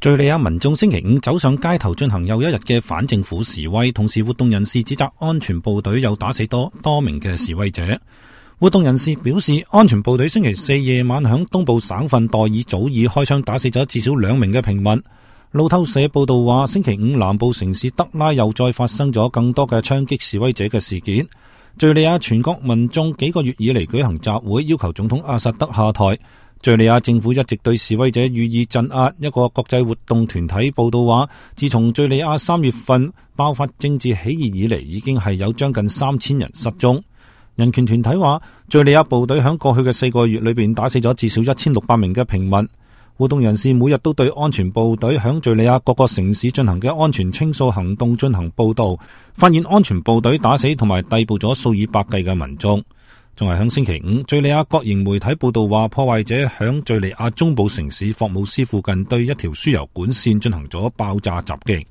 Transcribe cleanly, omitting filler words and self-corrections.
敘利亞民眾星期五走上街頭進行又一日嘅反政府示威，同時活動人士指責安全部隊又打死多名嘅示威者。活動人士表示，安全部隊星期四夜晚響東部省份代爾祖爾開槍打死咗至少2名嘅平民。路透社報道話，星期五南部城市德拉又再發生咗更多嘅槍擊示威者嘅事件。敘利亞全國民眾幾個月以嚟舉行集會，要求總統阿薩德下台。敘利亞政府一直對示威者予以鎮壓。一個國際活動團體報道話，自從敘利亞3月份爆發政治起義以嚟，已經係有將近3000人失蹤。人權團體話，敘利亞部隊響過去嘅4個月裏邊打死咗至少1600名嘅平民。活動人士每日都對安全部隊響敘利亞各個城市進行嘅安全清掃行動進行報道，發現安全部隊打死同埋逮捕咗數以百計嘅民眾。仲係響星期五，敘利亞國營媒體報道話，破壞者響敘利亞中部城市霍姆斯附近對一條輸油管線進行咗爆炸襲擊。